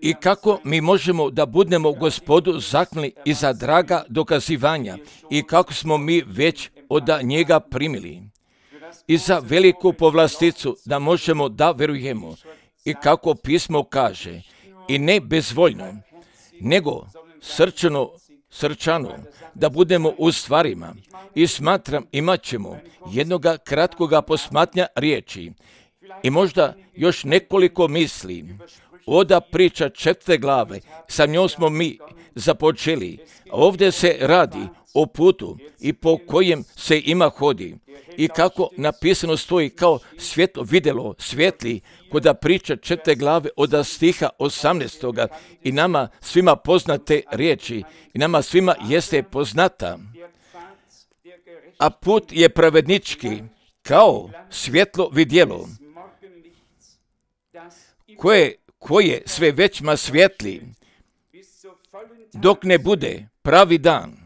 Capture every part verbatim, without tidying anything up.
I kako mi možemo da budemo Gospodu zahvalni i za draga dokazivanja i kako smo mi već od njega primili i za veliku povlasticu da možemo da verujemo i kako pismo kaže i ne bezvoljno, nego srčano, srčano da budemo u stvarima. I smatram imat ćemo jednoga kratkoga posmatnja riječi i možda još nekoliko misli. Oda priča četvrte glave, sa njom smo mi započeli. Ovdje se radi o putu i po kojem se ima hodi. I kako napisano stoji kao svjetlo vidjelo svijetli koda priča četvrte glave od stiha osamnaestoga i nama svima poznate riječi i nama svima jeste poznata. A put je pravednički kao svjetlo vidjelo koje koje sve većma svjetli, dok ne bude pravi dan.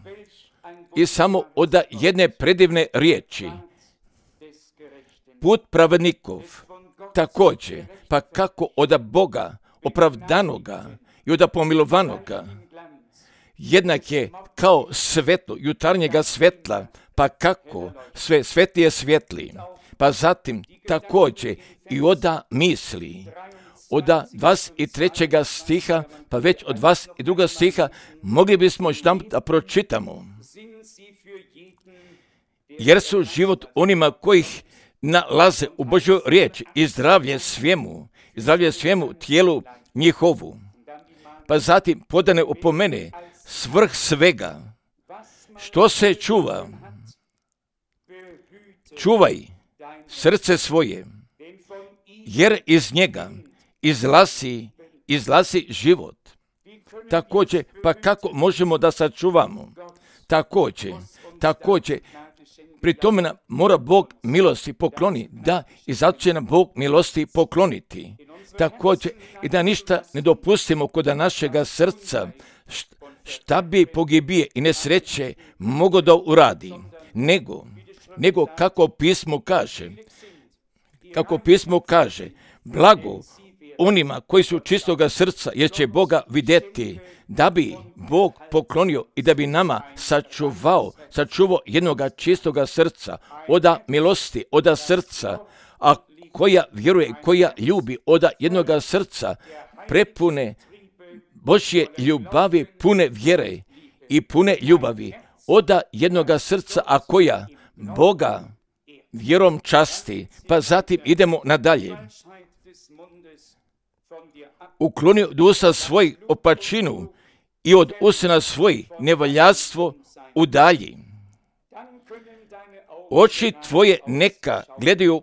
I samo od jedne predivne riječi, put pravednikov, također, pa kako od Boga, opravdanoga i od pomilovanoga, jednak je kao svetlo jutarnjega svetla, pa kako sve svetije svjetli, pa zatim također i od misli, od dvadeset trećega stiha, pa već od dvadeset drugog stiha, mogli bismo još tam da pročitamo. Jer su život onima kojih nalaze u Božoj riječi i zdravlje svemu, i zdravlje svemu tijelu njihovu. Pa zatim podane opomene svrh svega, što se čuva, čuvaj srce svoje, jer iz njega izlazi, izlazi život. Također, pa kako možemo da sačuvamo? Također, također, pri tome nam mora Bog milosti pokloni, da i zato će nam Bog milosti pokloniti. Također, i da ništa ne dopustimo kod našega srca, šta bi pogibije i nesreće mogo da uradi, nego, nego kako pismo kaže, kako pismo kaže, blago onima koji su čistoga srca, jer će Boga vidjeti, da bi Bog poklonio i da bi nama sačuvao, sačuvao jednoga čistoga srca, oda milosti, oda srca, a koja vjeruje i koja ljubi oda jednoga srca, prepune Božje ljubavi, pune vjere i pune ljubavi, oda jednoga srca, a koja Boga vjerom časti. Pa zatim idemo nadalje. Ukloni od usta svojih opačinu i od usana svojih nevaljadstvo udalji. Oči tvoje neka gledaju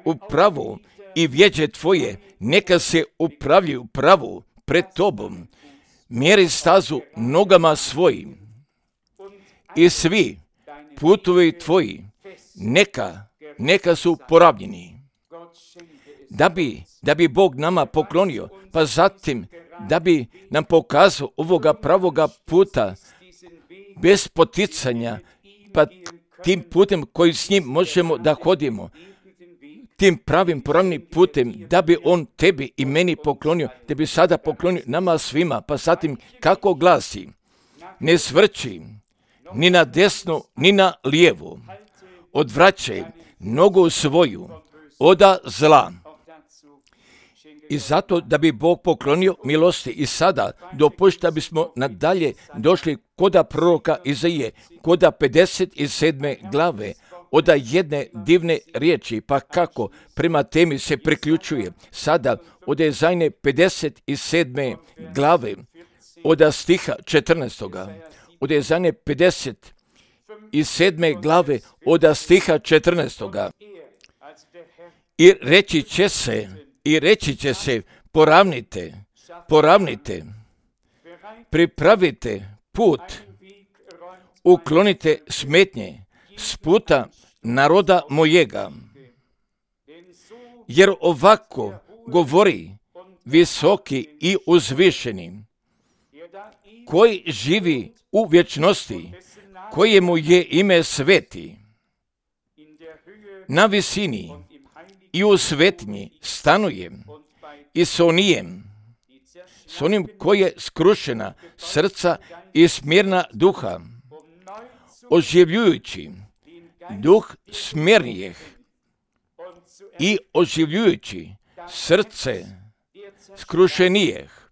u pravo i vjeđe tvoje neka se upravljaju pravo pred tobom. Mjeri stazu nogama svojim i svi putovi tvoji neka, neka su porabljeni. Da bi, da bi Bog nama poklonio, pa zatim da bi nam pokazao ovoga pravoga puta bez poticanja, pa tim putem koji s njim možemo da hodimo, tim pravim pravnim putem, da bi on tebi i meni poklonio, da bi sada poklonio nama svima, pa zatim kako glasi, ne svrči ni na desno, ni na lijevo, odvraćaj nogu svoju oda zla. I zato da bi Bog poklonio milosti i sada dopušta bismo nadalje došli koda proroka Izaije, koda pedeset sedme glave, oda jedne divne riječi, pa kako prema temi se priključuje. Sada od Izaije pedeset sedme glave, oda stiha četrnaestoga, od Izaije pedeset sedme glave, oda stiha četrnaestoga. I reći će se, I reći će se, poravnite, poravnite, pripravite put, uklonite smetnje s puta naroda mojega. Jer ovako govori visoki i uzvišeni, koji živi u vječnosti, kojemu je ime sveti, na visini i u svetinji stanuje i s onijem, s onim koji je skrušena srca i smirna duha, oživljujući duh smirnijih i oživljujući srce skrušenijih,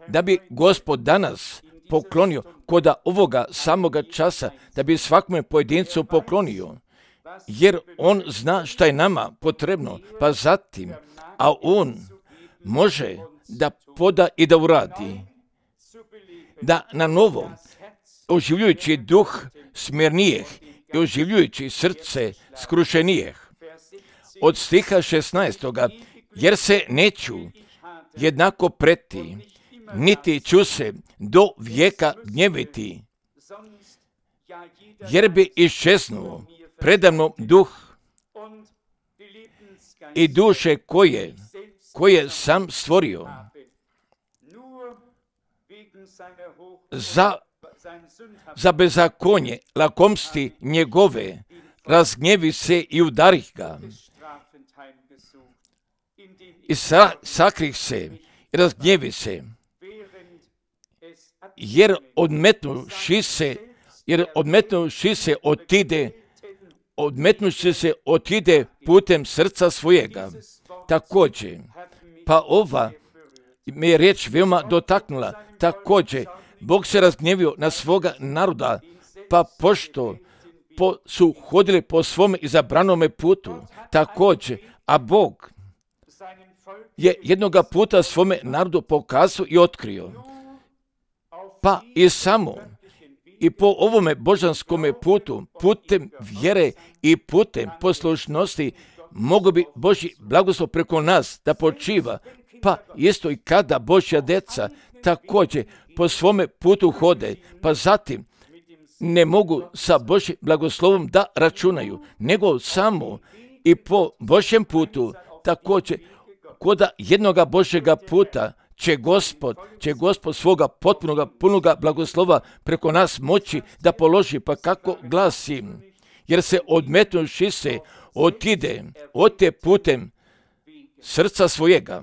da bi Gospod danas poklonio koda ovoga samoga časa, da bi svakome pojedincu poklonio, jer on zna šta je nama potrebno, pa zatim, a on može da poda i da uradi, da na novo, oživljujući duh smirnijih i oživljujući srce skrušenijih. Od stiha šesnaestoga, jer se neću jednako preti, niti ću se do vijeka gnjeviti, jer bi iščeznuo predamno duh i duše koje, koje sam stvorio. Za, za bezakonje lakomsti njegove razgnjevi se i udarih ga. I sa, sakrih se i razgnjevi se, jer odmetnuši se, jer odmetnuši se otide, odmetnuši se otide putem srca svojega. Također, pa ova me je riječ veoma dotaknula, također, Bog se razgnjevio na svoga naroda, pa pošto po, su hodili po svome izabranome putu, također, a Bog je jednoga puta svome narodu pokazao i otkrio. Pa i samo i po ovome božanskome putu, putem vjere i putem poslušnosti, mogu bi Božji blagoslov preko nas da počiva, pa isto i kada Božja deca također po svome putu hode, pa zatim ne mogu sa Božjim blagoslovom da računaju, nego samo i po Božjem putu, također koda jednoga Božjega puta će Gospod, će Gospod svoga potpunoga, punoga blagoslova preko nas moći da položi, pa kako glasi, jer se odmetnuši se otide, ote putem srca svojega.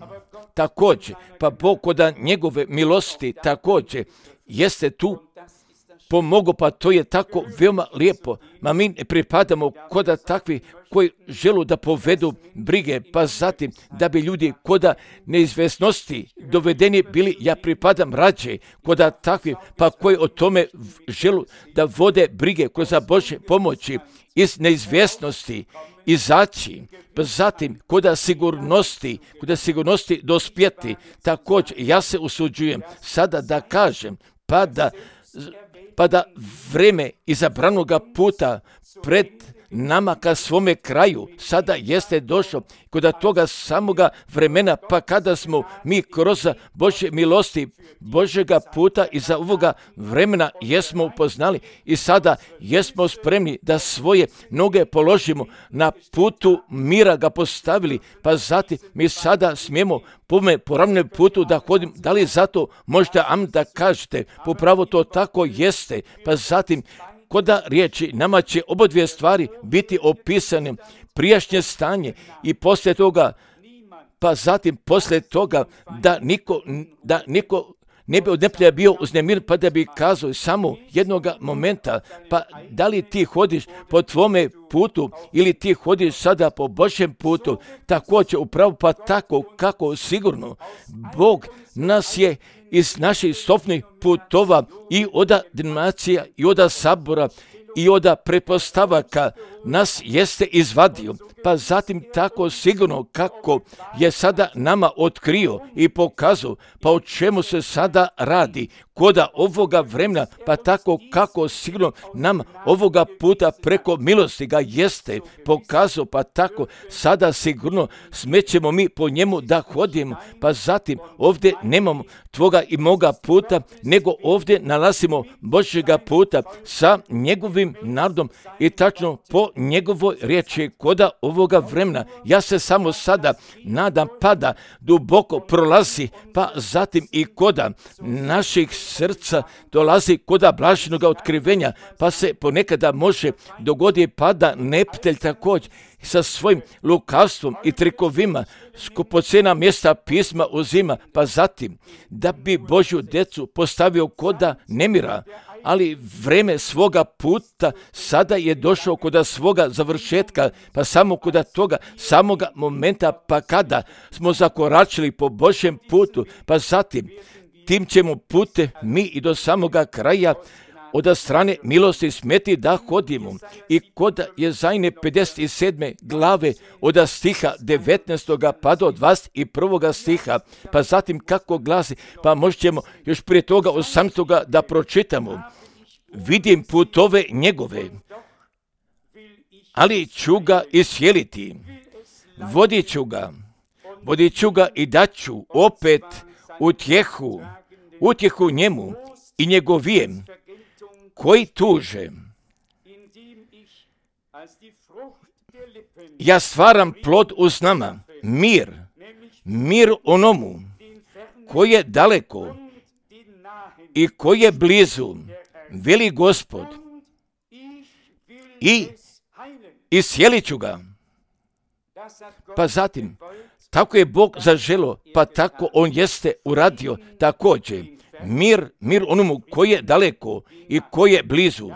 Također, pa Bog koda njegove milosti također jeste tu pomogao, pa to je tako veoma lijepo. Ma mi ne pripadamo koda takvi koji želu da povedu brige, pa zatim da bi ljudi koda neizvesnosti dovedeni bili, ja pripadam rađe koda takvi, pa koji o tome želu da vode brige kroz Božje pomoći iz neizvjesnosti izaći, pa zatim koda sigurnosti, koda sigurnosti dospjeti. Također, ja se usuđujem sada da kažem, pa da pa da vreme izabranoga puta pred nama ka svome kraju sada jeste došlo, kod toga samoga vremena, pa kada smo mi kroz Božje milosti Božjega puta iza ovoga vremena jesmo upoznali i sada jesmo spremni da svoje noge položimo na putu mira ga postavili, pa zatim mi sada smijemo po me poravnom putu da hodim. Da li zato možda am da kažete, popravo to tako jeste, pa zatim koda riječi nama će oba dvije stvari biti opisane, prijašnje stanje i poslije toga, pa zatim poslije toga da niko, da niko ne bi od neprijatelja bio uznemiren, pa da bi kazao samo jednoga momenta, pa da li ti hodiš po tvome putu ili ti hodiš sada po Božjem putu, također upravo pa tako kako sigurno Bog nas je iz naših stopnih putova i oda denominacija i oda sabora i oda pretpostavaka nas jeste izvadio, pa zatim tako sigurno kako je sada nama otkrio i pokazao, pa o čemu se sada radi koda ovoga vremena, pa tako kako sigurno nam ovoga puta preko milosti ga jeste pokazao, pa tako sada sigurno smećemo mi po njemu da hodimo, pa zatim ovdje nemamo tvoga i moga puta, nego ovdje nalazimo Božjega puta sa njegovim narodom i tačno po njegovoj riječi koda ovoga vremena. Ja se samo sada nadam pa da duboko prolazi, pa zatim i koda naših srca dolazi koda blaženog otkrivenja, pa se ponekada može dogoditi pa da neprijatelj također sa svojim lukavstvom i trikovima skupocjena mjesta pisma uzima, pa zatim da bi Božju djecu postavio koda nemira, ali vreme svoga puta sada je došao koda svoga završetka, pa samo koda toga samoga momenta, pa kada smo zakoračili po Božjem putu, pa zatim tim ćemo pute mi i do samoga kraja od strane milosti smeti da hodimo. I kod Jezajne pedeset sedme glave od stiha devetnaestog pa do dvadeset prvog stiha, pa zatim kako glasi, pa možemo još prije toga osamnaestog da pročitamo. Vidim putove njegove, ali ću ga isjeliti, vodit ću ga, vodit ću ga i daću opet utjehu, utjehu njemu i njegovijem, koji tuže. Ja stvaram plod uz nama, mir, mir onomu koji je daleko i koji je blizu, veli Gospod, i isjelit ću ga. Pa zatim, tako je Bog zaželo, pa tako on jeste uradio također. Mir, mir onomu koji je daleko i koji je blizu.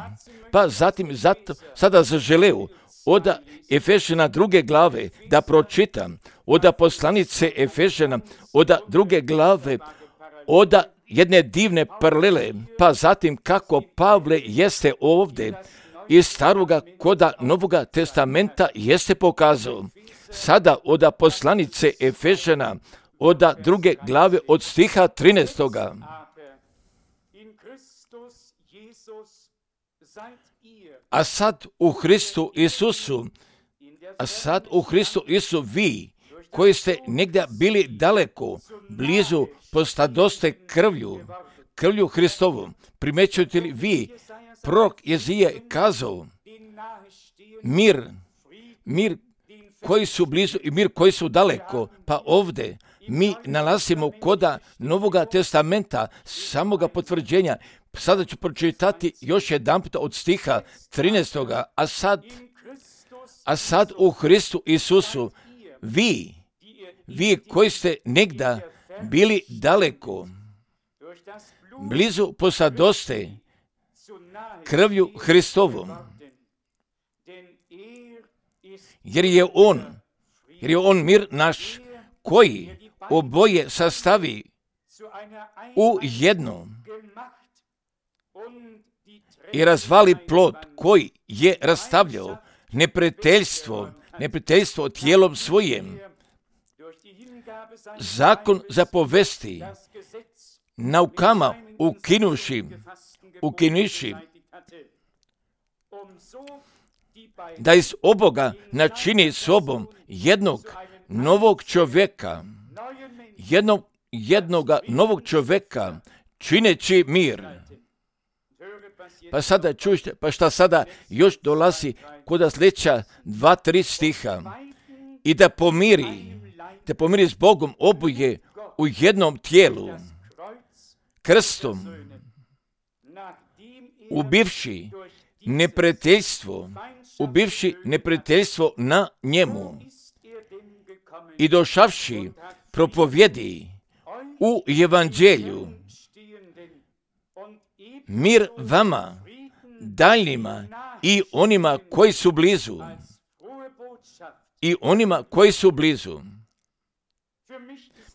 Pa zatim, zato sada zaželeo od Efežana druge glave da pročitam, od poslanice Efežana, od druge glave, od jedne divne paralele, pa zatim kako Pavle jeste ovdje iz staroga koda Novoga testamenta jeste pokazao. Sada od poslanice Efežana, od druge glave od stiha trinaestoga. A sad u Hristu Isusu, a sad u Hristu Isusu vi, koji ste negdje bili daleko, blizu, postadoste krvlju, krvlju Hristovom. Primećujete li vi, prorok Jezija je kazao, mir, mir koji su blizu i mir koji su daleko, pa ovdje mi nalazimo koda Novoga testamenta, samoga potvrđenja. Sada ću pročitati još jedan puta od stiha trinaestoga. A sad, a sad u Hristu Isusu, vi, vi koji ste negda bili daleko, blizu posadoste krvlju Hristovom, jer je on, jer je on mir naš, koji oboje sastavi u jedno i razvali plod koji je rastavljao neprijateljstvo, neprijateljstvo tijelom svojim. Zakon zapovesti naukama ukinuši, ukinuši, da iz oboga načini sobom jednog novog čovjeka, jednog, jednoga novog čovjeka, čineći mir. Pa sada čujte, pa šta sada još dolazi kod sljedeća dva, tri stiha. I da pomiri, da pomiri s Bogom oboje u jednom tijelu, krstom, ubivši neprijateljstvo, ubivši neprijateljstvo na njemu i došavši propovjedi u evanđelju mir vama, daljnjima i onima koji su blizu, i onima koji su blizu.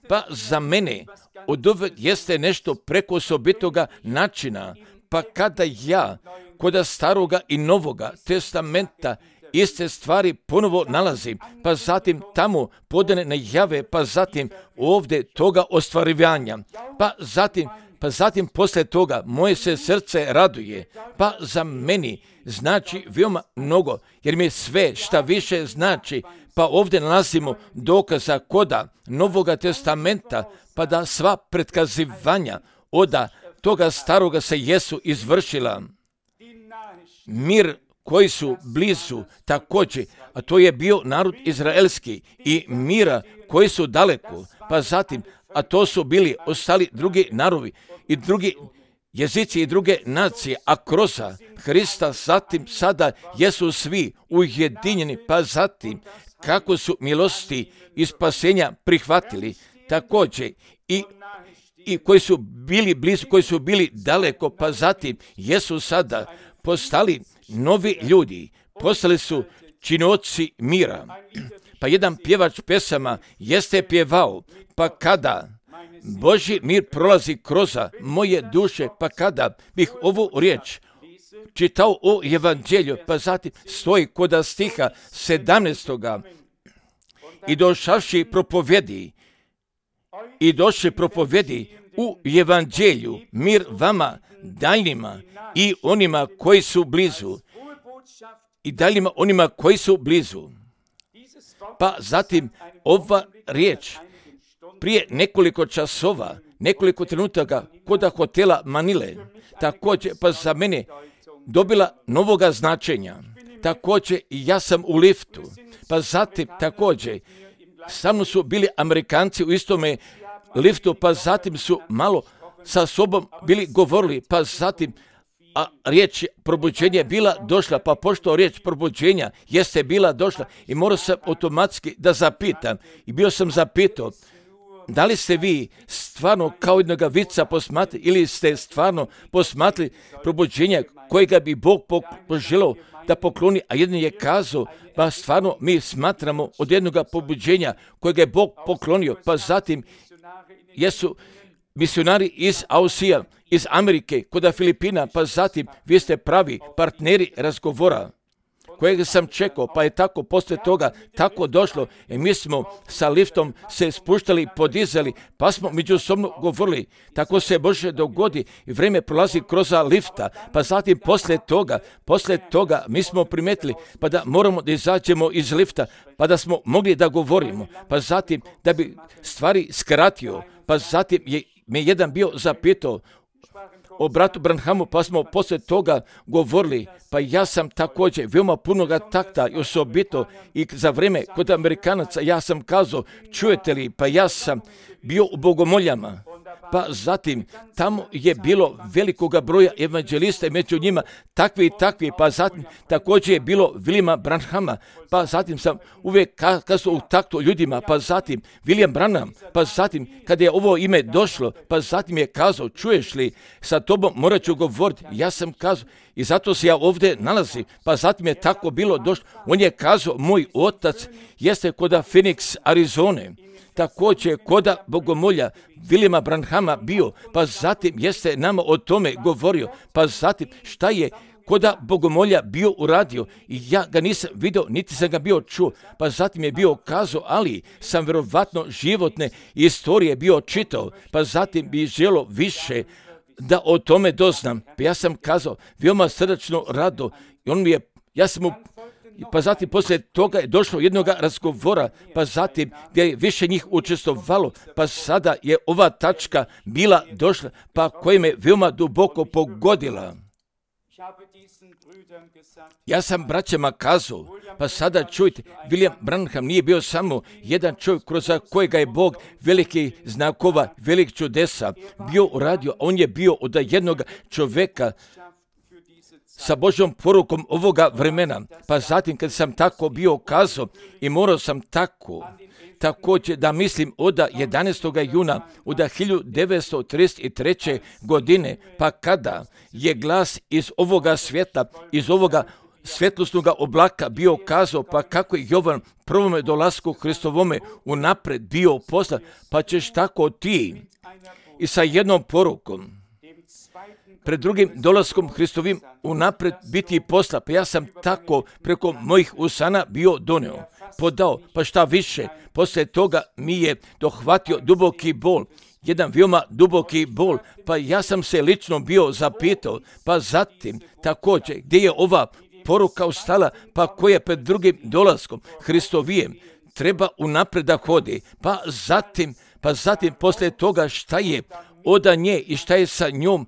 Pa za mene od uvijek jeste nešto preko osobitoga načina, pa kada ja kod staroga i novoga testamenta iste stvari ponovo nalazim, pa zatim tamo podane najave, pa zatim ovdje toga ostvarivanja, pa zatim Pa zatim poslije toga moje se srce raduje, pa za meni znači veoma mnogo, jer mi sve šta više znači, pa ovdje nalazimo dokaza koda Novoga testamenta, pa da sva pretkazivanja od toga staroga se jesu izvršila. Mir koji su blizu također, a to je bio narod izraelski, i mira koji su daleko, pa zatim, a to su bili ostali drugi narodi i drugi jezici i druge nacije, a kroz Hrista zatim sada jesu svi ujedinjeni, pa zatim kako su milosti i spasenja prihvatili, također i, i koji su bili blizu, koji su bili daleko, pa zatim jesu sada postali novi ljudi, postali su činioci mira. Pa jedan pjevač pesama jeste pjevao, pa kada Božji mir prolazi kroz moje duše, pa kada bih ovu riječ čitao o evanđelju, pa zatim stoji kod stiha sedamnaestoga i došavši propovedi, i došli propovedi u evanđelju mir vama daljnima i onima koji su blizu, i daljnima onima koji su blizu. Pa zatim ova riječ prije nekoliko časova, nekoliko trenutaka kod hotela Manile, također pa za mene dobila novoga značenja. Također ja sam u liftu, pa zatim također sa mnom su bili Amerikanci u istome liftu, pa zatim su malo sa sobom bili govorili, pa zatim a riječ probuđenja je bila došla, pa pošto riječ probuđenja jeste bila došla i morao sam automatski da zapitam i bio sam zapitao, da li ste vi stvarno kao jednoga vica posmatrali ili ste stvarno posmatrali probuđenja kojega bi Bog poželao da pokloni, a jedan je kazao, pa stvarno mi smatramo od jednoga pobuđenja kojega je Bog poklonio, pa zatim jesu misionari iz Ausija, iz Amerike, kod Filipina, pa zatim vi ste pravi partneri razgovora kojeg sam čekao, pa je tako poslije toga tako došlo i mi smo sa liftom se spuštali, podizali, pa smo međusobno govorili. Tako se može dogodi i vrijeme prolazi kroz lifta, pa zatim poslije toga, poslije toga mi smo primetili pa da moramo da izađemo iz lifta, pa da smo mogli da govorimo, pa zatim da bi stvari skratio, pa zatim je me jedan bio zapitao o bratu Branhamu, pa smo poslije toga govorili, pa ja sam također veoma punoga takta i osobito i za vrijeme kod Amerikanaca ja sam kazao, čujete li, pa ja sam bio u Bogomoljama, pa zatim tamo je bilo velikoga broja evanđelista i među njima takvi i takvi, pa zatim također je bilo Williama Branhama, pa zatim sam uvijek kazao u taktu ljudima, pa zatim William Branham, pa zatim kada je ovo ime došlo, pa zatim je kazao, čuješ li, sa tobom morat ću govoriti, ja sam kazao i zato se ja ovdje nalazim, pa zatim je tako bilo došlo, on je kazao, moj otac jeste kod Phoenix, Arizone, također koda Bogomolja Williama Branhama bio, pa zatim jeste nama o tome govorio, pa zatim šta je koda Bogomolja bio uradio i ja ga nisam vidio, niti sam ga bio čuo, pa zatim je bio kazao, ali sam vjerovatno životne istorije bio čitao, pa zatim bi želo više da o tome doznam, pa ja sam kazao, veoma srdačno rado i on mi je, ja sam mu pa zatim poslije toga je došlo jednog razgovora, pa zatim gdje je više njih učestvovalo, pa sada je ova tačka bila došla, pa koja me veoma duboko pogodila. Ja sam braćama kazao, pa sada čujte, William Branham nije bio samo jedan čovjek kroz kojega je Bog veliki znakova, velik čudesa bio uradio, a on je bio od jednog čovjeka sa Božjom porukom ovoga vremena. Pa zatim kad sam tako bio kazao i morao sam tako, također da mislim od jedanaestog juna od hiljadu devetsto trideset treće. godine, pa kada je glas iz ovoga svijeta, iz ovoga svjetlosnog oblaka bio kazao, pa kako je Jovan prvome dolasku Hristovome unapred bio poslan, pa ćeš tako ti i sa jednom porukom pred drugim dolaskom Hristovim unapred biti posla, pa ja sam tako preko mojih usana bio doneo, podao, pa šta više, poslije toga mi je dohvatio duboki bol, jedan veoma duboki bol, pa ja sam se lično bio zapitao, pa zatim također gdje je ova poruka ostala, pa koja pred drugim dolaskom Hristovijem treba unapred da hodi, pa zatim, pa zatim poslije toga šta je od nje i šta je sa njom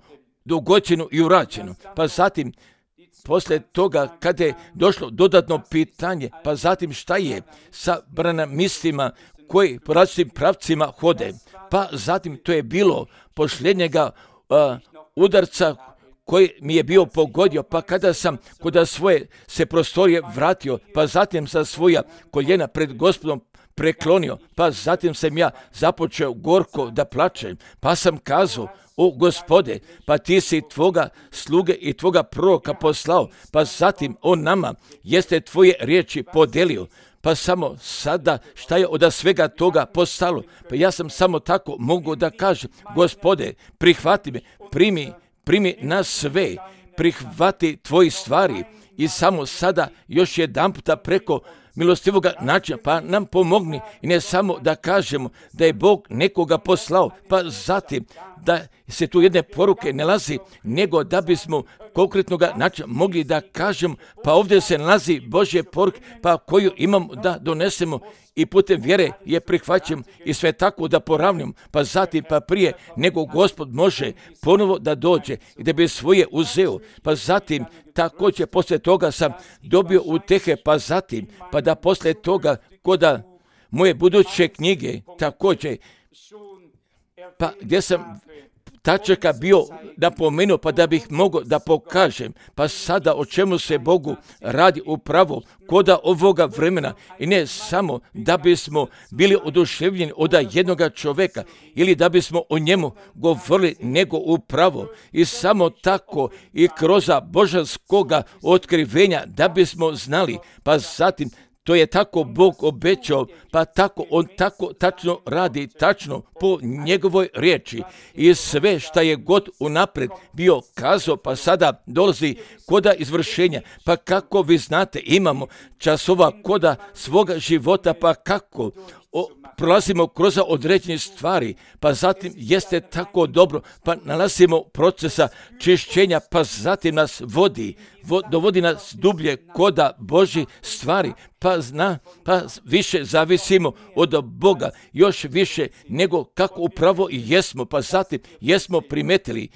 dogođeno i urađeno. Pa zatim, poslije toga, kada je došlo dodatno pitanje, pa zatim šta je sa branamistima koji po različitim pravcima hode. Pa zatim to je bilo posljednjega uh, udarca koji mi je bio pogodio, pa kada sam kod svoje se prostorije vratio, pa zatim sa svoja koljena pred Gospodom preklonio, pa zatim sam ja započeo gorko da plačem, pa sam kazao: o Gospode, pa ti si tvoga sluge i tvoga proroka poslao, pa zatim on nama jeste tvoje riječi podelio. Pa samo sada šta je od svega toga postalo? Pa ja sam samo tako mogu da kažem: Gospode, prihvati me, primi, primi nas sve, prihvati tvoji stvari i samo sada još jedan puta preko milostivoga načina, pa nam pomogni i ne samo da kažemo da je Bog nekoga poslao, pa zatim da se tu jedne poruke nalazi, nego da bismo konkretnog načina mogli da kažemo: pa ovdje se nalazi Božje poruke, pa koju imamo da donesemo i putem vjere je prihvaćamo i sve tako da poravnimo, pa zatim pa prije nego Gospod može ponovo da dođe i da bi svoje uzeo, pa zatim također poslije toga sam dobio utehe, pa zatim pa da poslije toga koda moje buduće knjige također, pa gdje sam tačaka bio napomenuo, pa da bih mogao da pokažem, pa sada o čemu se Bogu radi upravo koda ovoga vremena i ne samo da bismo bili oduševljeni od jednoga čovjeka ili da bismo o njemu govorili, nego upravo i samo tako i kroz božanskoga otkrivenja da bismo znali, pa zatim to je tako Bog obećao, pa tako on tako tačno radi, tačno po njegovoj riječi. I sve šta je god unaprijed bio kazao, pa sada dolazi koda izvršenja. Pa kako vi znate, imamo časova koda svoga života, pa kako o, prolazimo kroz određene stvari, pa zatim jeste tako dobro, pa nalazimo procesa čišćenja, pa zatim nas vodi, vo, dovodi nas dublje koda Božji stvari, pa zna, pa više zavisimo od Boga, još više nego kako upravo i jesmo, pa zatim jesmo primetili,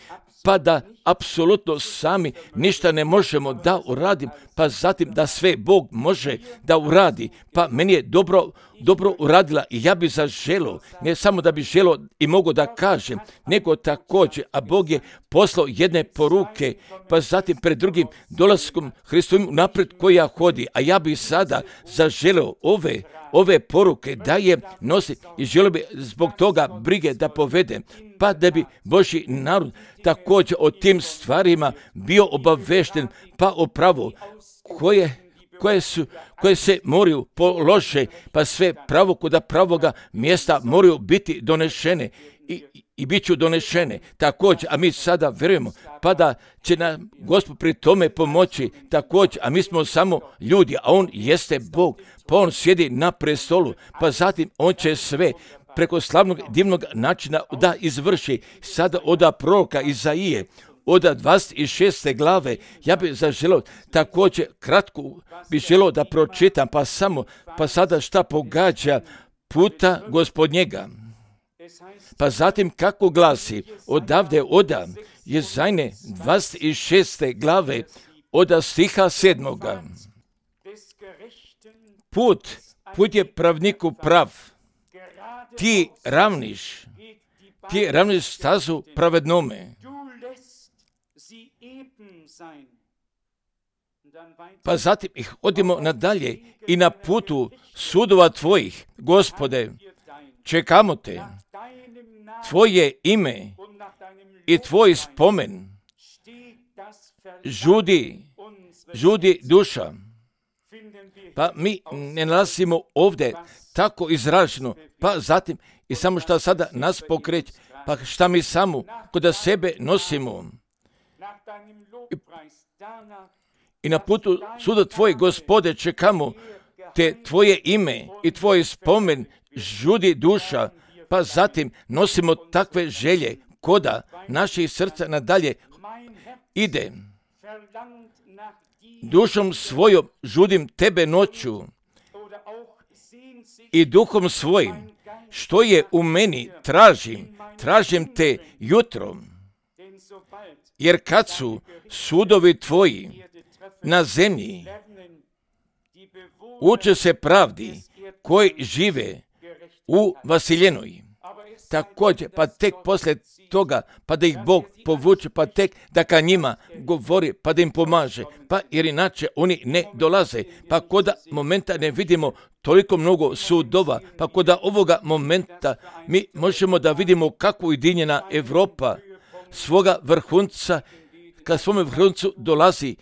pa da apsolutno sami ništa ne možemo da uradim, pa zatim da sve Bog može da uradi, pa meni je dobro, dobro uradila i ja bi zaželio, ne samo da bi želio i mogu da kažem, nego također, a Bog je poslao jedne poruke, pa zatim pred drugim dolaskom Hristovim napred koja hodi, a ja bi sada zaželio ove, ove poruke da je nosi i želio bi zbog toga brige da povedem, pa da bi Božji narod također o tim stvarima bio obavešten, pa upravo koje, koje, su, koje se moraju polože, pa sve pravo kuda pravoga mjesta moraju biti donešene i, i bit ću donešene također, a mi sada vjerujemo, pa da će nam Gospod pri tome pomoći također, a mi smo samo ljudi, a on jeste Bog, pa on sjedi na prestolu, pa zatim on će sve preko slavnog divnog načina da izvrši. Sada od proroka Izaije, od dvadeset šeste glave, ja bih zaželio također kratko bih želio da pročitam, pa samo, pa sada šta pogađa puta Gospodnjega. Pa zatim kako glasi, odavde oda Jezajne dvadeset šeste glave, od stiha sedmoga. Put, put je pravniku prav, ti ravniš, ti ravniš stazu pravednome. Pa zatim ih odimo nadalje i na putu sudova tvojih, Gospode, čekamo te, tvoje ime i tvoj spomen, žudi, žudi duša. Pa mi ne nalazimo ovdje tako izraženo, pa zatim i samo što sada nas pokreće, pa šta mi samo kod sebe nosimo. I, i na putu suda tvoj, Gospode, čekamo te tvoje ime i tvoj spomen, žudi duša, pa zatim nosimo takve želje koda naših srca nadalje ide. Dušom svojom žudim tebe noću i duhom svojim, što je u meni, tražim, tražim te jutrom. Jer kad su sudovi tvoji na zemlji, uče se pravdi koji žive u Vasiljenoj. također, pa tek poslije toga, pa da ih Bog povuče, pa tek da ka njima govori, pa da im pomaže, pa jer inače oni ne dolaze, pa koda momenta ne vidimo toliko mnogo sudova, pa koda ovoga momenta mi možemo da vidimo kako ujedinjena Evropa svoga vrhunca, ka svome vrhuncu dolazi.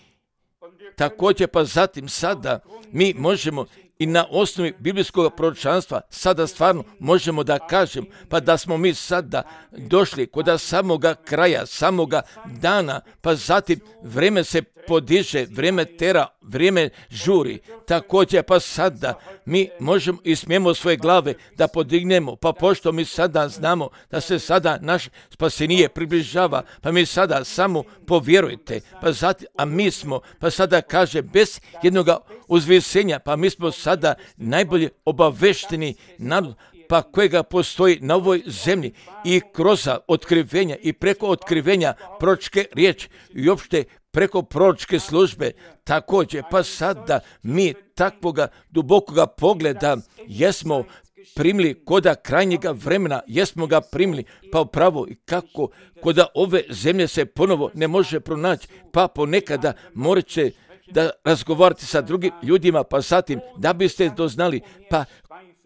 Također pa zatim sada mi možemo i na osnovi biblijskog proročanstva sada stvarno možemo da kažem pa da smo mi sada došli kod samoga kraja, samoga dana, pa zatim vrijeme se podiže, vrijeme tera, vrijeme žuri. Također pa sada mi možemo i smijemo svoje glave da podignemo, pa pošto mi sada znamo da se sada naš spasenije približava, pa mi sada samo povjerujte, pa zatim, a mi smo, pa sada kaže, bez jednoga uzvisenja, pa mi smo sada najbolje obavešteni narod, pa kojega postoji na ovoj zemlji i kroz otkrivenja i preko otkrivenja proročke riječi i uopšte preko proročke službe. Također, pa sada mi takvoga dubokoga pogleda jesmo primili koda krajnjega vremena, jesmo ga primili, pa upravo i kako koda ove zemlje se ponovo ne može pronaći, pa ponekada morat će da razgovarati sa drugim ljudima, pa zatim da biste doznali, pa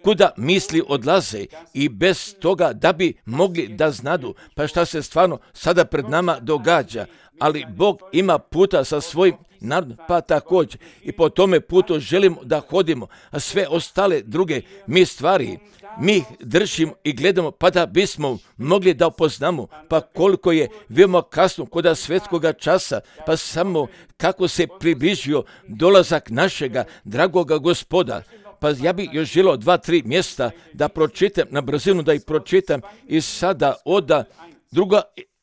kuda misli odlaze i bez toga da bi mogli da znadu, pa šta se stvarno sada pred nama događa. Ali Bog ima puta sa svojim narodom, pa također i po tome putu želimo da hodimo, a sve ostale druge mi stvari, mi ih držimo i gledamo, pa da bismo mogli da upoznamo, pa koliko je veoma kasno kod svetskoga časa, pa samo kako se približio dolazak našega dragoga Gospoda. Pa ja bih još želio dva, tri mjesta da pročitam, na brzinu da ih pročitam i sada oda druga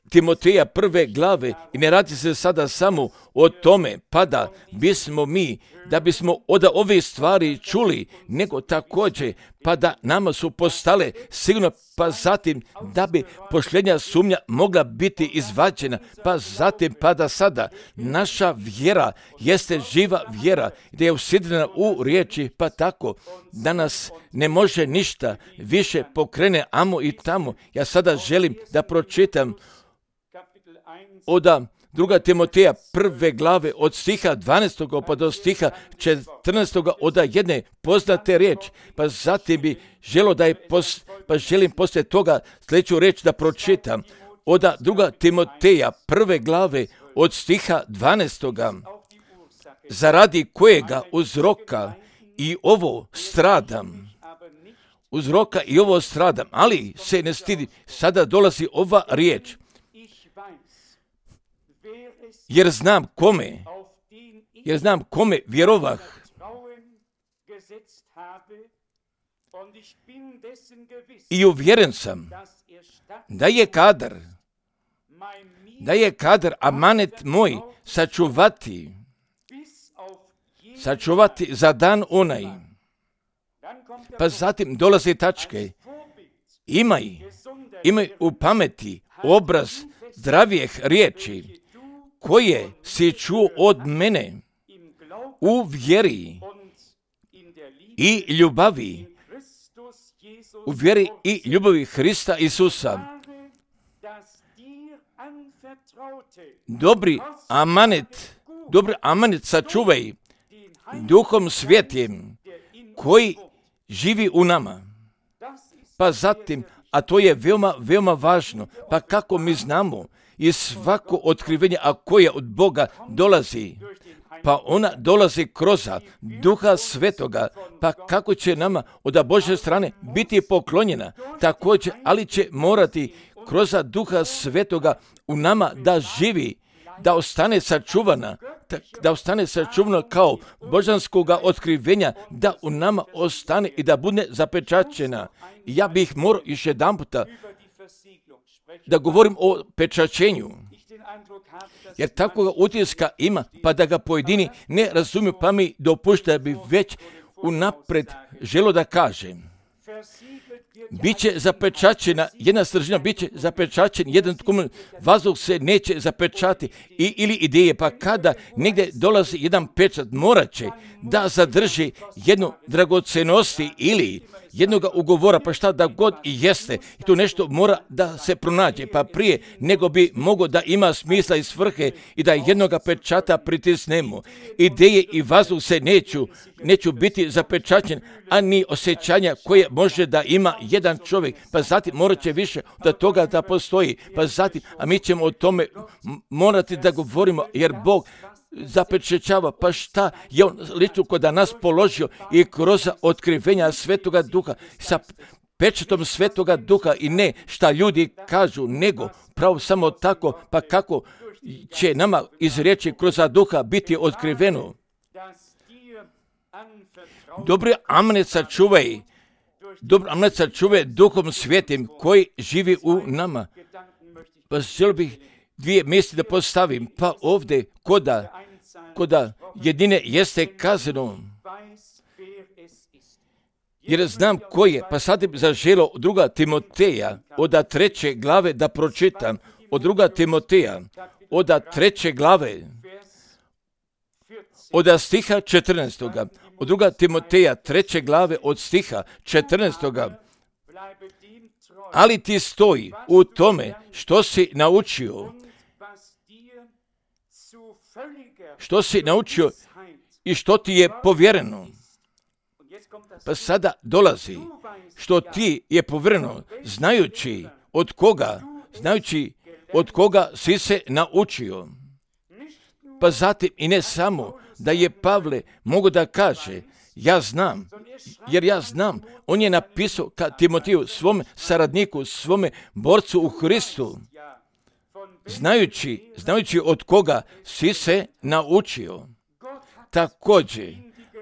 Timoteja prve glave i ne radi se sada samo o tome, pa da bismo mi, da bismo od ove stvari čuli, nego također, pa da nama su postale sigurno, pa zatim da bi pošljenja sumnja mogla biti izvađena, pa zatim, pa da sada naša vjera jeste živa vjera, da je usidrena u riječi, pa tako da nas ne može ništa više pokrene amo i tamo. Ja sada želim da pročitam od druga Timoteja prve glave od stiha dvanaestog pa do stiha četrnaestog od jedne poznate riječi, pa zatim bi želo da je pos, pa želim poslije toga sljedeću riječ da pročitam od druga Timoteja prve glave od stiha dvanaestog zaradi kojega uzroka i ovo stradam. Uzroka i ovo stradam, ali se ne stidi. Sada dolazi ova riječ. Jer znam kome, jer znam kome vjerovah. I uvjeren sam da je kadar, da je kadar amanet moj sačuvati, sačuvati za dan onaj. Pa zatim dolaze tačke. Imaj, imaj u pameti obraz zdravijeh riječi, koje si čuo od mene u vjeri i ljubavi, u vjeri i ljubavi Hrista Isusa. Dobri amanet, dobri amanet sačuvaj Duhom Svjetim koji živi u nama. Pa zatim, a to je veoma, veoma važno, pa kako mi znamo i svako otkrivenje, a koje od Boga dolazi, pa ona dolazi kroz Duha Svetoga, pa kako će nama od Božje strane biti poklonjena, također, ali će morati kroz Duha Svetoga u nama da živi, da ostane sačuvana, da ostane sačuvana kao božanskoga otkrivenja, da u nama ostane i da bude zapečaćena. Ja bih morao još jedan puta da govorim o pečaćenju, jer takvoga utiska ima, pa da ga pojedini ne razumiju, pa mi dopušta da bi već unapred želo da kažem. Biće zapečaćena jedna stržina, biće zapečaćen jedan tkumen, vazduh se neće zapečati i, ili ideje, pa kada negdje dolazi jedan pečat, morat će da zadrži jednu dragocenosti ili jednoga ugovora, pa šta da god i jeste. I tu nešto mora da se pronađe, pa prije nego bi mogo da ima smisla i svrhe i da jednoga pečata pritisnemo. Ideje i vazduh se neću, neću biti zapečaćen, a ni osjećanja koje može da ima jedan čovjek, pa zatim morat će više od toga da postoji, pa zatim, a mi ćemo o tome morati da govorimo, jer Bog zapečećava, pa šta je on lično kod nas položio i kroz otkrivenja Svetoga Duha, sa pečetom Svetoga Duha i ne šta ljudi kažu, nego pravo samo tako, pa kako će nama iz riječi kroz Duha biti otkriveno. Dobro amen sačuvaj, dobro amen sačuvaj Duhom Svetim koji živi u nama. Pa želio bih dvije misli da postavim, pa ovdje koda, koda jedine jeste kazano, jer znam ko je, pa sad bi zaželo druga Timoteja, od treće glave da pročitam, od druga Timoteja, od treće glave, od stiha četrnaestoga, od druga Timoteja, treće glave, od stiha četrnaestoga, ali ti stoji u tome što si naučio, što si naučio i što ti je povjereno. Pa sada dolazi što ti je povjereno, znajući od koga, znajući od koga si se naučio. Pa zatim i ne samo da je Pavle mogu da kaže, ja znam, jer ja znam, on je napisao ka Timotiju, svome saradniku, svome borcu u Hristu, znajući, znajući od koga si se naučio. Također,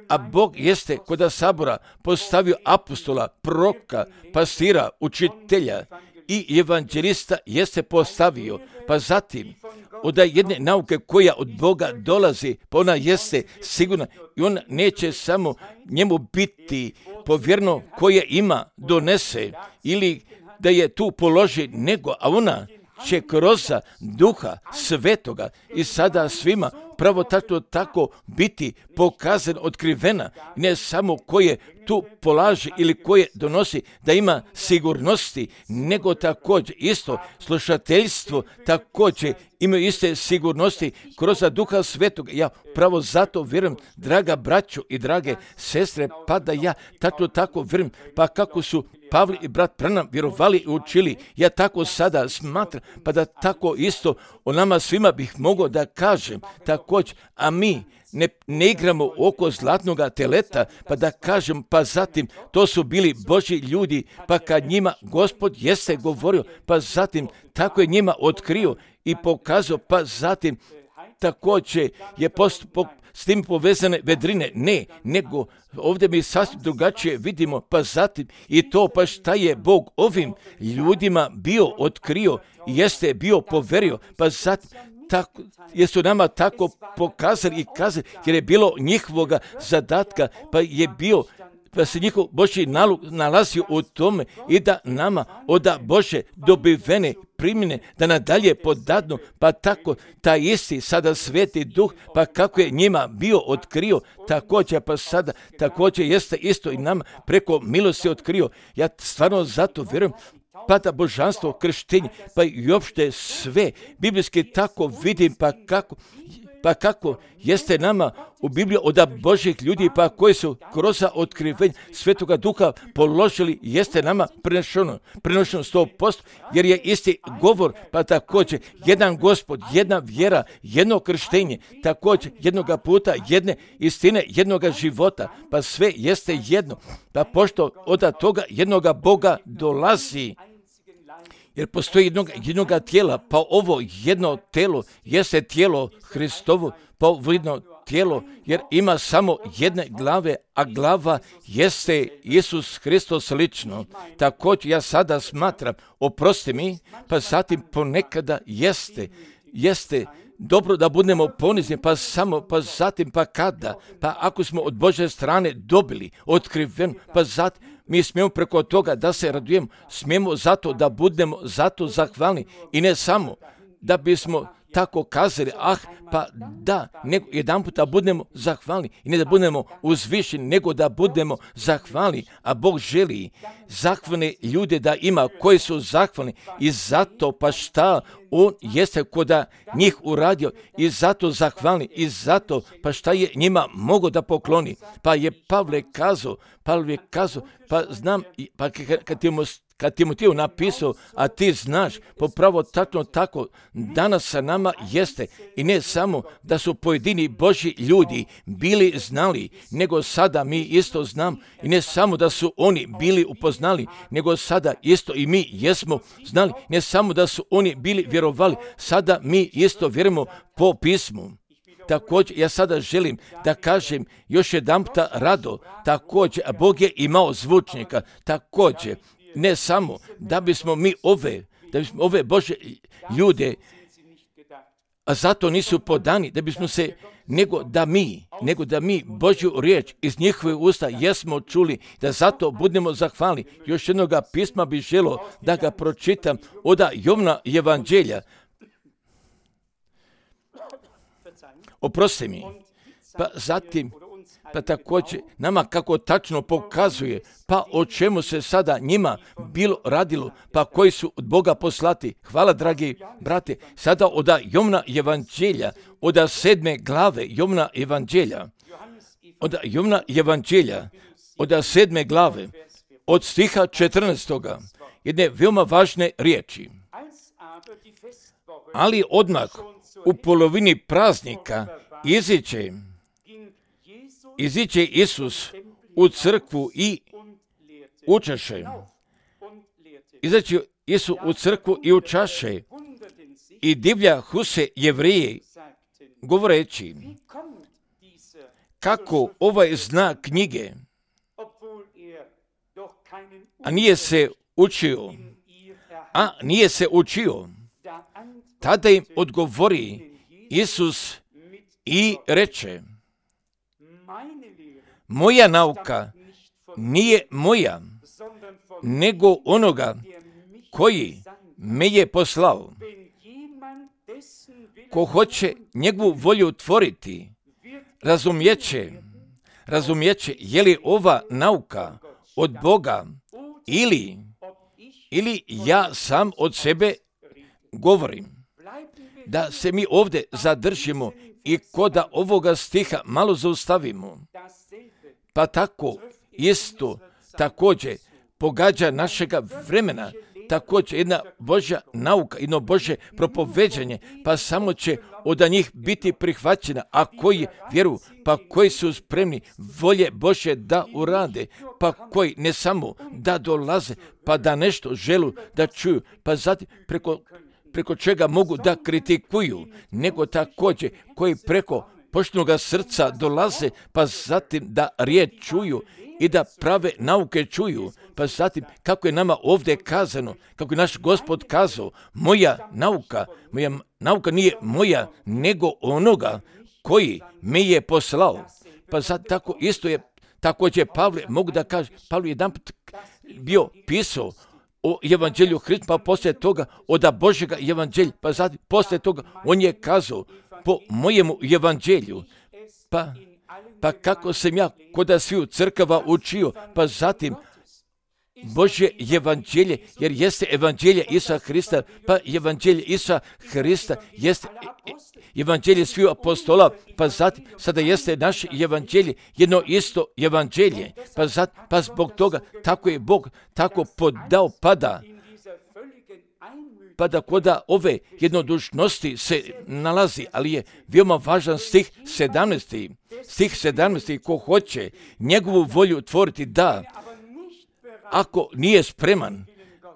a Bog jeste kod sabora postavio apostola, proroka, pastira, učitelja i evanđelista jeste postavio, pa zatim od jedne nauke koja od Boga dolazi, pa ona jeste sigurna i ona neće samo njemu biti povjerno koje ima, donese ili da je tu položi, nego, a ona će kroz Duha Svetoga i sada svima pravo tako, tako biti pokazan, otkrivena, ne samo koje tu polaže ili koje donosi da ima sigurnosti, nego također isto slušateljstvo također imaju iste sigurnosti kroz Duha Svetoga. Ja pravo zato vjerujem, draga braćo i drage sestre, pa da ja tako tako vjerujem, pa kako su Pavle i brat Branham vjerovali i učili, ja tako sada smatram, pa da tako isto o nama svima bih mogao da kažem također, a mi ne, ne igramo oko zlatnoga teleta, pa da kažem, pa zatim to su bili Božji ljudi, pa kad njima Gospod jeste govorio, pa zatim tako je njima otkrio i pokazao, pa zatim također je postupak s tim povezane vedrine, ne, nego ovdje mi sasvim drugačije vidimo, pa zatim i to, pa šta je Bog ovim ljudima bio otkrio i jeste bio poverio, pa zatim tako, jesu nama tako pokazali i kazali, jer je bilo njihovoga zadatka, pa je bio, pa se njihov Božji nalog nalazio u tome i da nama od Bože dobivene primjene da nadalje podadnu, pa tako taj isti sada Sveti Duh, pa kako je njima bio otkrio, također pa sada također jeste isto i nama preko milosti otkrio. Ja stvarno zato vjerujem, pa da božanstvo, krštenje, pa i uopšte sve biblijski tako vidim, pa kako, pa kako jeste nama u Bibliji od Božjih ljudi, pa koji su kroz otkrivenje Svetoga Duha položili, jeste nama prenošeno, prenošeno sto posto, jer je isti govor, pa također jedan Gospod, jedna vjera, jedno krštenje, također jednoga puta, jedne istine, jednoga života, pa sve jeste jedno, pa pošto od toga jednoga Boga dolazi, jer postoji jednog, jednoga tijela, pa ovo jedno tijelo jeste tijelo Hristovo, pa ovo jedno tijelo, jer ima samo jedne glave, a glava jeste Isus Hristos lično. Također ja sada smatram, oprosti mi, pa zatim ponekada jeste, jeste dobro da budemo ponizni, pa samo, pa zatim, pa kada, pa ako smo od Božje strane dobili otkriven, pa zatim, mi smijemo preko toga da se radujemo, smijemo zato da budemo zato zahvalni i ne samo da bismo tako kazali, ah, pa da, nego jedan puta budemo zahvalni i ne da budemo uzvišeni, nego da budemo zahvalni, a Bog želi zahvalne ljude da ima koji su zahvalni i zato pa šta on jeste ko da njih uradio i zato zahvalni i zato pa šta je njima mogo da pokloni. Pa je Pavle kazao, Pavle kazao, pa znam, pa kad ti mu Kad Timotiju napisao, a ti znaš, popravo tačno tako, danas sa nama jeste i ne samo da su pojedini Božji ljudi bili znali, nego sada mi isto znam i ne samo da su oni bili upoznali, nego sada isto i mi jesmo znali, ne samo da su oni bili vjerovali, sada mi isto vjerujemo po pismu. Također, ja sada želim da kažem još jedanputa rado, također, a Bog je imao zvučnika, također, ne samo da bismo mi ove, da bismo ove Bože ljude, a zato nisu podani, da bismo se, nego da mi, nego da mi Božju riječ iz njihove usta jesmo čuli, da zato budemo zahvalni. Još jednoga pisma bi želo da ga pročitam od Jovna evanđelja. Oprosti mi. Pa zatim, pa također nama kako tačno pokazuje, pa o čemu se sada njima bilo radilo, pa koji su od Boga poslati. Hvala, dragi brate, sada od Jovna evanđelja, od sedme glave Jovna evanđelja, od Jovna evanđelja, od sedme glave, od stiha četrnaestoga, jedne veoma važne riječi. Ali odmah u polovini praznika iziće Iziće Isus u crkvu i učaše. Izaće Isus u crkvu i učaše i divljahu se Jevreji govoreći, kako ovaj znak knjige, a nije se učio, a nije se učio. Tada im odgovori Isus i reče, moja nauka nije moja, nego onoga koji me je poslao. Ko hoće njegovu volju tvoriti, razumjeće, razumjeće je li ova nauka od Boga ili, ili ja sam od sebe govorim. Da se mi ovdje zadržimo i kod ovoga stiha malo zaustavimo. Pa tako isto također pogađa našega vremena, također jedna Božja nauka, jedno Božje propoveđanje, pa samo će od njih biti prihvaćena, a koji vjeruju, pa koji su spremni volje Božje da urade, pa koji ne samo da dolaze, pa da nešto želu da čuju, pa zatim preko, preko čega mogu da kritikuju, nego također koji preko poštenoga srca dolaze, pa zatim da riječ čuju i da prave nauke čuju, pa zatim kako je nama ovdje kazano, kako je naš Gospod kazao, moja nauka, moja nauka nije moja, nego onoga koji me je poslao. Pa zatim tako isto je, također Pavle, mogu da kaže, Pavle jedan put bio pisao o evanđelju Hrista, pa poslije toga od Božjega evanđelja, pa zatim poslije toga on je kazao, po mojemu evanđelju, pa, pa kako sam ja kod sviju crkava učio, pa zatim Božje evanđelje, jer jeste evanđelje Isusa Hrista, pa evanđelje Isusa Hrista jeste evanđelje sviju apostola, pa zatim sada jeste naše evanđelje, jedno isto evanđelje, pa zatim, pa zbog toga tako je Bog tako podao pada, pa da koda ove jednodušnosti se nalazi, ali je veoma važan stih sedamnaesti. Stih sedamnaesti, ko hoće njegovu volju tvoriti, da, ako nije spreman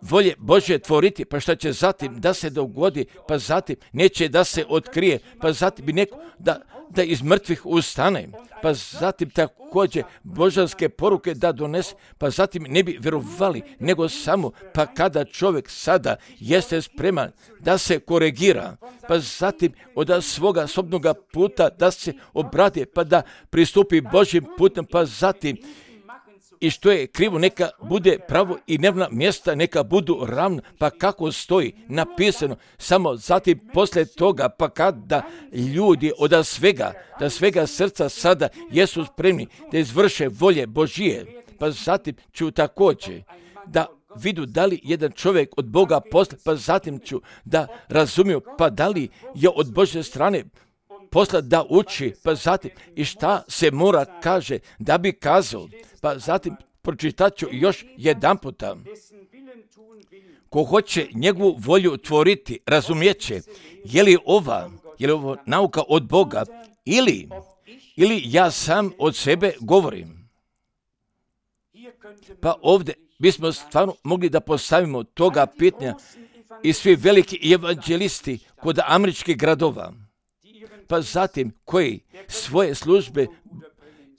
volje Božje tvoriti, pa šta će zatim da se dogodi, pa zatim neće da se otkrije, pa zatim bi neko da, da iz mrtvih ustane, pa zatim također božanske poruke da donese, pa zatim ne bi vjerovali, nego samo pa kada čovjek sada jeste spreman da se koregira, pa zatim od svoga sobnoga puta da se obrati, pa da pristupi Božjim putem, pa zatim i što je krivo neka bude pravo i nevna mjesta neka budu ravna, pa kako stoji napisano, samo zatim poslije toga, pa kada ljudi od svega, da svega srca sada jesu spremni da izvrše volje Božije, pa zatim ću također da vidu da li jedan čovjek od Boga posla, pa zatim ću da razumiju, pa da li je od Božje strane posla da uči, pa zatim i šta se mora kaže da bi kazao, pa zatim pročitat ću još jedan puta. Ko hoće njegovu volju tvoriti, razumijeće, je li ova, je li ovo nauka od Boga ili, ili ja sam od sebe govorim. Pa ovdje bismo stvarno mogli da postavimo toga pitanja i svi veliki evanđelisti kod američkih gradova, pa zatim koji svoje službe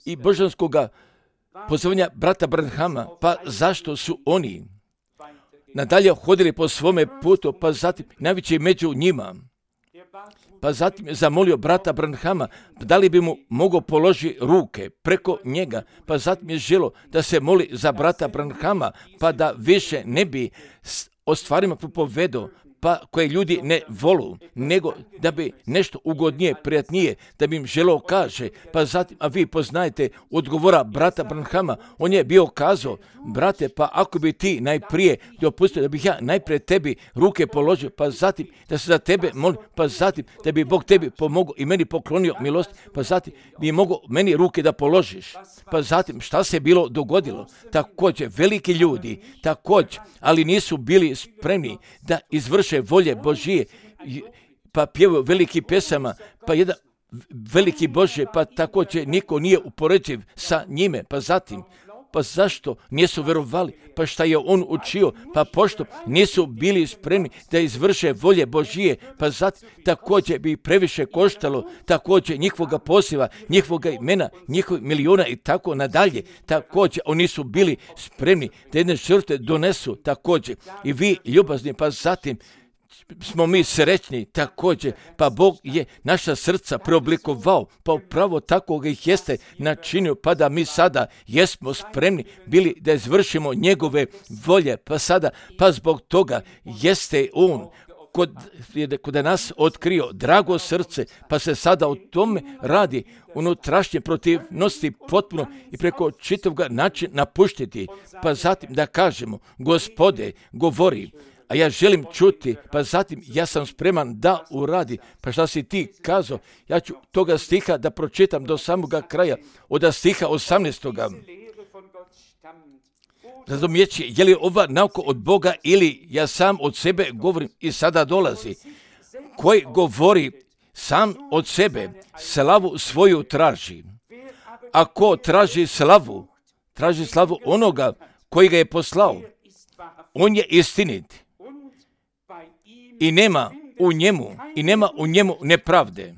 i božanskoga pozivanja brata Branhama, pa zašto su oni nadalje hodili po svome putu, pa zatim najveći među njima, pa zatim je zamolio brata Branhama da li bi mu mogao položiti ruke preko njega, pa zatim je želo da se moli za brata Branhama, pa da više ne bi o stvarima propovedao, pa koje ljudi ne volu, nego da bi nešto ugodnije, prijatnije, da bi im želeo kaže, pa zatim, a vi poznajete odgovora brata Branhama, on je bio kazao, brate, pa ako bi ti najprije dopustio da bih ja najprije tebi ruke položio, pa zatim da se za tebe molim, pa zatim da bi Bog tebi pomogao i meni poklonio milost, pa zatim bi mogao meni ruke da položiš, pa zatim šta se bilo dogodilo, također veliki ljudi, također, ali nisu bili spremni da izvrše volje Božije, pa pjevaju veliki pesama, pa jedan veliki Bože, pa također niko nije upoređiv sa njime, pa zatim, pa zašto nisu verovali, pa šta je on učio, pa pošto nisu bili spremni da izvrše volje Božije, pa zatim također bi previše koštalo, također njihovoga poziva, njihovoga imena, njihovih miliona i tako nadalje, također oni su bili spremni da jedne žrtve donesu također i vi ljubazni, pa zatim smo mi srećni također, pa Bog je naša srca preoblikovao, pa upravo tako ga ih jeste načinio, pa da mi sada jesmo spremni bili da izvršimo njegove volje, pa sada, pa zbog toga jeste on kod, kod nas otkrio drago srce, pa se sada o tome radi unutrašnje protivnosti potpuno i preko čitavog načina napuštiti, pa zatim da kažemo, Gospode, govori, a ja želim čuti, pa zatim ja sam spreman da uradi. Pa šta si ti kazao? Ja ću toga stiha da pročitam do samoga kraja, od stiha osamnaestoga. Razumijeći, je li ova nauka od Boga ili ja sam od sebe govorim i sada dolazi. Koji govori sam od sebe, slavu svoju traži. Ako traži slavu, traži slavu onoga koji ga je poslao. On je istinit. I nema u njemu, i nema u njemu nepravde.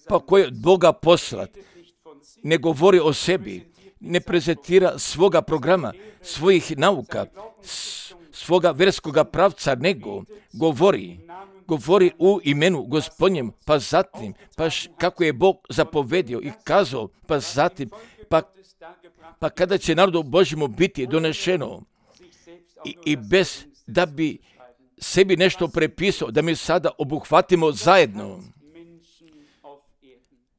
Pa ko je od Boga poslat, ne govori o sebi, ne prezentira svoga programa, svojih nauka, svoga verskoga pravca, nego govori, govori u imenu Gospodnjem, pa zatim, pa š, kako je Bog zapovedio i kazao, pa zatim, pa, pa kada će narodu Božjemu biti donešeno i, i bez da bi sebi nešto prepisao, da mi sada obuhvatimo zajedno.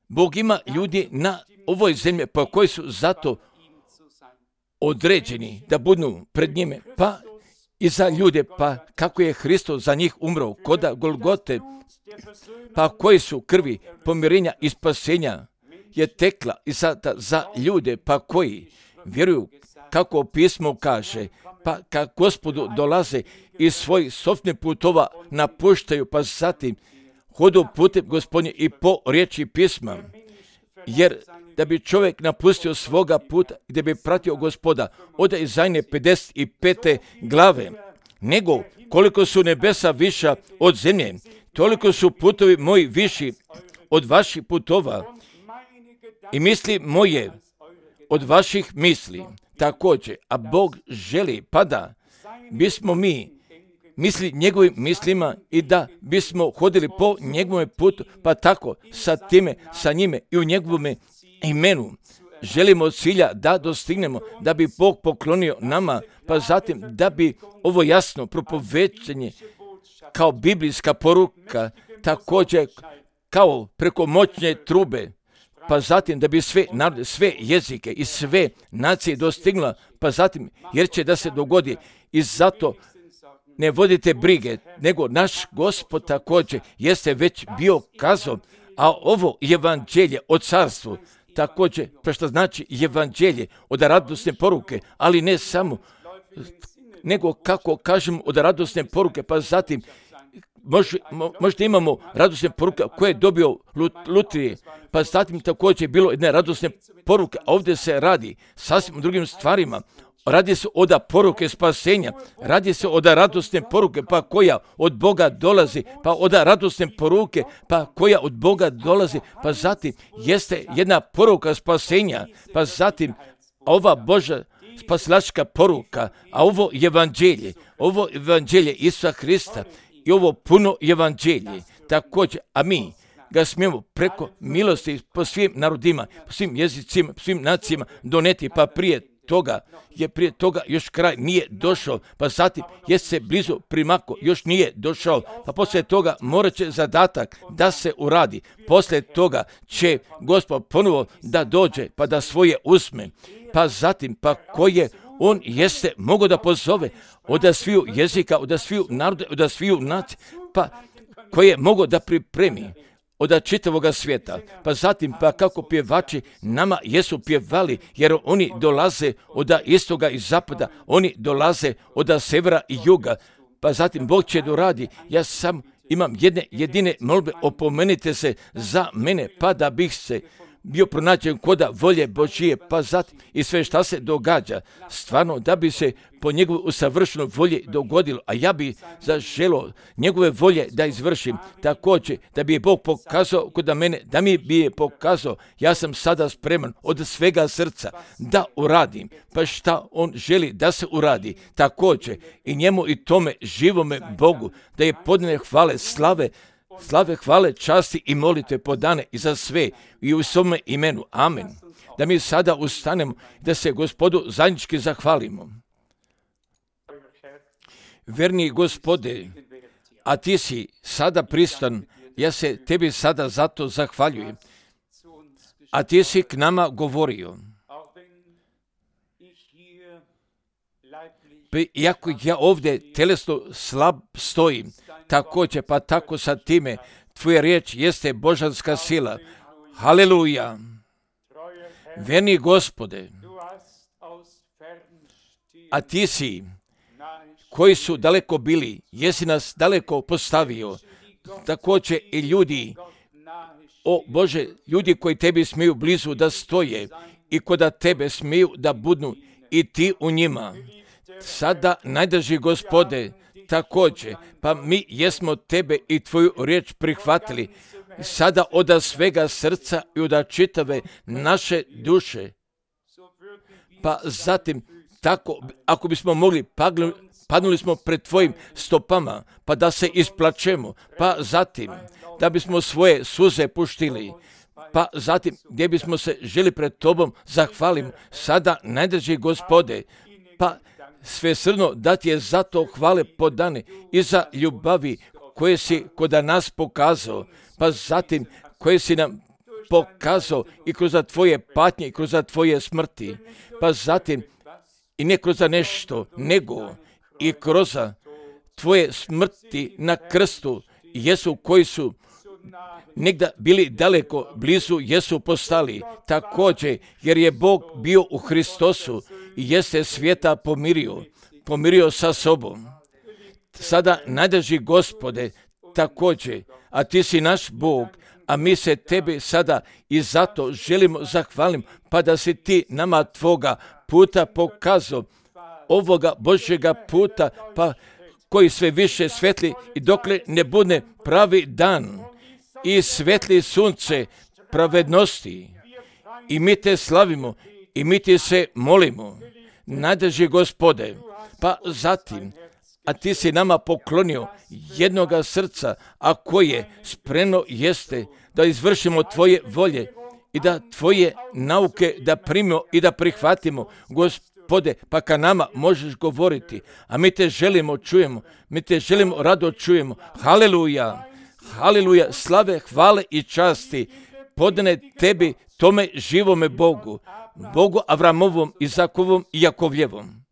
Bog ima ljudi na ovoj zemlji, pa koji su zato određeni da budu pred njime, pa i za ljude, pa kako je Hristos za njih umro koda Golgote, pa koji su krvi pomirenja i spasenja je tekla i sada za ljude, pa koji vjeruju kako pismo kaže, pa kad Gospodu dolaze iz svojih sofnih putova napuštaju, pa zatim hodu putem Gospodnje i po riječi pisma. Jer da bi čovjek napustio svoga puta i da bi pratio Gospoda, ode Izaije pedeset pete glave, nego koliko su nebesa viša od zemlje, toliko su putovi moji viši od vaših putova i misli moje od vaših misli. Također, a Bog želi, pa da bismo mi misli njegovim mislima i da bismo hodili po njegovom putu, pa tako sa time, sa njime i u njegovom imenu želimo cilja da dostignemo, da bi Bog poklonio nama, pa zatim da bi ovo jasno propovećenje kao biblijska poruka, također kao preko moćne trube, pa zatim da bi sve narode, sve jezike i sve nacije dostigla, pa zatim jer će da se dogodi i zato ne vodite brige, nego naš Gospod također jeste već bio kazao, a ovo evanđelje o carstvu također, pa što znači evanđelje od radosne poruke, ali ne samo, nego kako kažemo od radosne poruke, pa zatim Možda, možda imamo radosne poruke koje je dobio Lutrije, pa zatim također je bilo jedne radosne poruke, a ovdje se radi sasvim o drugim stvarima. Radi se od poruke spasenja, radi se od radosne poruke, pa koja od Boga dolazi, pa od radosne poruke, pa koja od Boga dolazi, pa zatim jeste jedna poruka spasenja, pa zatim ova Božja spasilačka poruka, a ovo evanđelje, ovo evanđelje Isusa Hrista, i ovo puno evanđelje, također, a mi ga smijemo preko milosti po svim narodima, po svim jezicima, po svim nacijama doneti, pa prije toga je prije toga još kraj nije došao, pa zatim je se blizu primako, još nije došao, pa poslije toga morat će zadatak da se uradi, poslije toga će Gospod ponovo da dođe, pa da svoje uzme, pa zatim, pa koje on jeste mogao da pozove od sviju jezika, od sviju naroda, od sviju nacije, pa koje je mogao da pripremi od čitavoga svijeta. Pa zatim, pa kako pjevači nama jesu pjevali, jer oni dolaze od istoga i zapada, oni dolaze od severa i juga. Pa zatim Bog će doradi. Ja sam imam jedne jedine molbe, opomenite se za mene, pa da bih se bio pronađen koda volje Božije, pa zatim i sve šta se događa, stvarno da bi se po njegovoj usavršenoj volji dogodilo, a ja bi zaželio njegove volje da izvršim, također da bi je Bog pokazao kod mene, da mi bi je pokazao, ja sam sada spreman od svega srca da uradim, pa šta on želi da se uradi, također i njemu i tome živome Bogu, da je podane hvale, slave, Slave, hvale, časti i molitve podane i za sve i u svome imenu. Amen. Da mi sada ustanemo, da se Gospodu zajednički zahvalimo. Verni Gospode, a ti si sada pristan, ja se tebi sada zato zahvaljujem. A ti si k nama govorio. Iako ja ovdje telesno slab stojim, također, pa tako sa time, tvoja riječ jeste božanska sila. Haleluja. Verni Gospode, a ti si, koji su daleko bili, jesi nas daleko postavio, također i ljudi, o Bože, ljudi koji tebi smiju blizu da stoje i koda tebe smiju da budnu i ti u njima. Sada, najdrži Gospode, također, pa mi jesmo tebe i tvoju riječ prihvatili, sada od svega srca i od čitave naše duše. Pa zatim, tako, ako bismo mogli, padnuli smo pred tvojim stopama, pa da se isplačemo, pa zatim, da bismo svoje suze puštili, pa zatim, gdje bismo se želi pred tobom zahvalimo, sada, najdrži Gospode, pa svesrdno da ti je zato hvale podane i za ljubavi koje si kod nas pokazao, pa zatim koje si nam pokazao i kroz tvoje patnje i kroz tvoje smrti, pa zatim i ne kroz nešto, nego i kroz tvoje smrti na krstu, jesu koji su negdje bili daleko, blizu jesu postali, također jer je Bog bio u Hristosu i jeste svijeta pomirio, pomirio sa sobom. Sada najdrži Gospode, također, a ti si naš Bog, a mi se tebi sada i zato želimo zahvalim, pa da si ti nama tvoga puta pokazao, ovoga Božjega puta, pa koji sve više svetli i dokle ne bude pravi dan i svetli sunce pravednosti. I mi te slavimo i mi ti se molimo, najdrži Gospode, pa zatim, a ti si nama poklonio jednoga srca, a koje spremno jeste da izvršimo tvoje volje i da tvoje nauke da primimo i da prihvatimo, Gospode, pa ka nama možeš govoriti, a mi te želimo čujemo, mi te želimo rado čujemo. Haleluja, haleluja, slave, hvale i časti podane tebi, tome živome Bogu, Bogu Avramovom, Izakovom i Jakovljevom.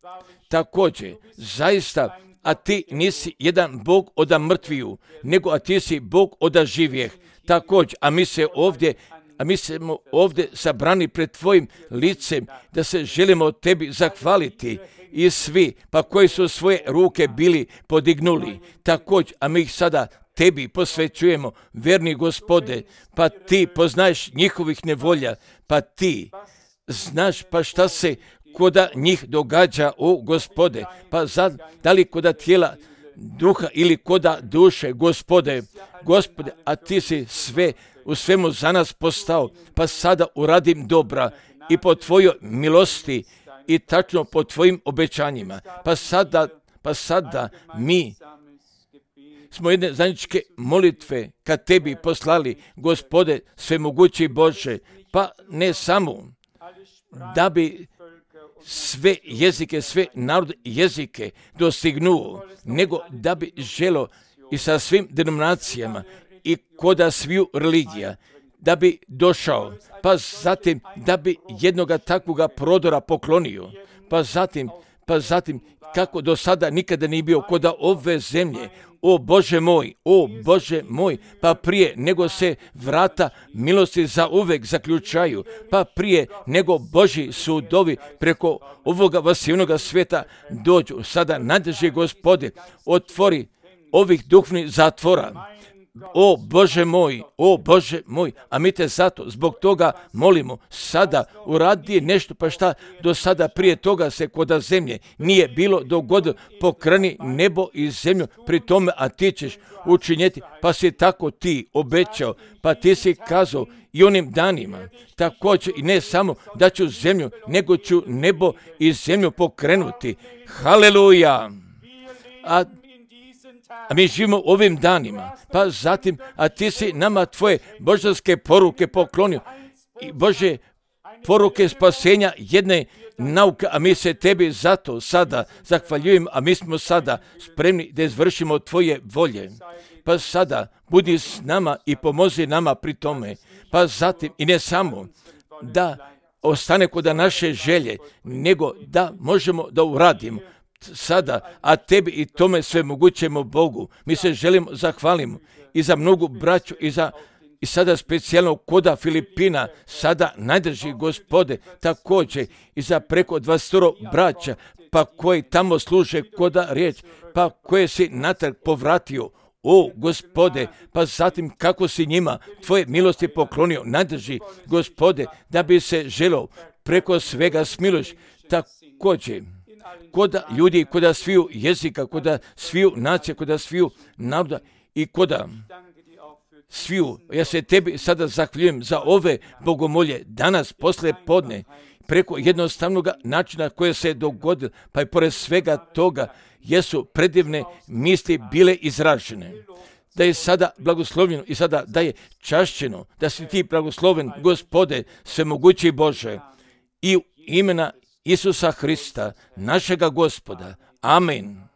Također, zaista, a ti nisi jedan Bog oda mrtviju, nego a ti si Bog oda živjeh. Također, a mi se ovdje, a mi smo ovdje sabrani pred tvojim licem, da se želimo tebi zahvaliti i svi, pa koji su svoje ruke bili podignuli. Također, a mi ih sada tebi posvećujemo, verni Gospode, pa ti poznaješ njihovih nevolja, pa ti znaš pa šta se koda njih događa, o Gospode, pa zad, da li koda tijela, duha ili koda duše, Gospode, Gospode, a ti si sve u svemu za nas postao, pa sada uradim dobra i po tvojoj milosti i tačno po tvojim obećanjima, pa sada, pa sada mi smo jedne zajedničke molitve kad tebi poslali, Gospode, svemogući Bože, pa ne samo da bi sve jezike, sve narod jezike dostignuo, nego da bi želo i sa svim denominacijama i koda sviju religija, da bi došao, pa zatim da bi jednoga takvoga prodora poklonio, pa zatim, pa zatim kako do sada nikada nije bio koda ove zemlje, o Bože moj, o Bože moj, pa prije nego se vrata milosti za uvek zaključaju, pa prije nego Božji sudovi preko ovoga vasivnoga svijeta dođu, sada nadrži Gospode, otvori ovih duhovnih zatvora. O Bože moj, o Bože moj, a mi te zato zbog toga molimo, sada uradi nešto, pa šta do sada prije toga se koda zemlje nije bilo dogodilo, pokreni nebo i zemlju pri tome, a ti ćeš učinjeti, pa si tako ti obećao, pa ti si kazao i onim danima, također i ne samo da ću zemlju, nego ću nebo i zemlju pokrenuti. Haleluja! A A mi živimo ovim danima, pa zatim, a ti si nama tvoje božanske poruke poklonio. I Bože, poruke spasenja jedne nauke, a mi se tebi zato sada zahvaljujemo, a mi smo sada spremni da izvršimo tvoje volje. Pa sada budi s nama i pomozi nama pri tome. Pa zatim, i ne samo da ostane kod naše želje, nego da možemo da uradimo sada, a tebi i tome sve mogućemo Bogu. Mi se želimo zahvalimo i za mnogu braću i za i sada specijalno koda Filipina, sada najdrži Gospode, također i za preko dvadeset braća, pa koji tamo služe koda riječ, pa koje si natrag povratio, o Gospode, pa zatim kako si njima tvoje milosti poklonio, najdrži Gospode, da bi se želo preko svega smiloš, također koda ljudi, koda sviju jezika, koda sviju nacija, koda sviju naroda i koda sviju. Ja se tebi sada zahvaljujem za ove bogomolje danas posle podne, preko jednostavnog načina koje se je dogodilo, pa i pored svega toga jesu predivne misli bile izražene. Da je sada blagoslovljeno i sada da je čašćeno, da si ti blagosloven, Gospode, svemogući Bože, i u imena Isusa Hrista, našega Gospoda. Amen.